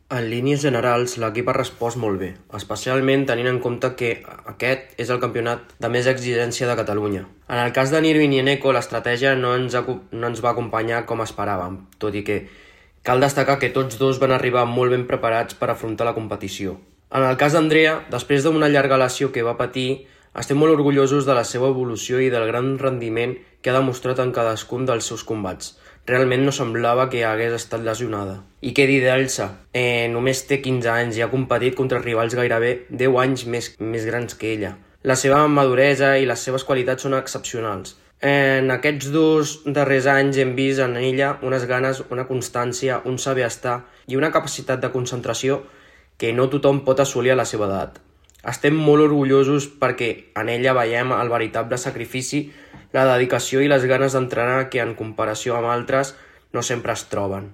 En línies generals, l'equip ha respost molt bé, especialment tenint en compte que aquest és el campionat de més exigència de Catalunya. En el cas de Nirvin i Eneko, l'estratègia no ens va acompanyar com esperàvem, tot i que cal destacar que tots dos van arribar molt ben preparats per afrontar la competició. En el cas d'Andrea, després d'una llarga lesió que va patir, estem molt orgullosos de la seva evolució i del gran rendiment que ha demostrat en cadascun dels seus combats. Realment no semblava que hagués estat lesionada. I què dir d'Elsa? Només té 15 anys i ha competit contra rivals gairebé 10 anys més grans que ella. La seva maduresa i les seves qualitats són excepcionals. En aquests 2 darrers anys hem vist en ella unes ganes, una constància, un saber estar i una capacitat de concentració que no tothom pot assolir a la seva edat. Estem molt orgullosos perquè en ella veiem el veritable sacrifici, la dedicació i les ganes d'entrenar que en comparació amb altres no sempre es troben.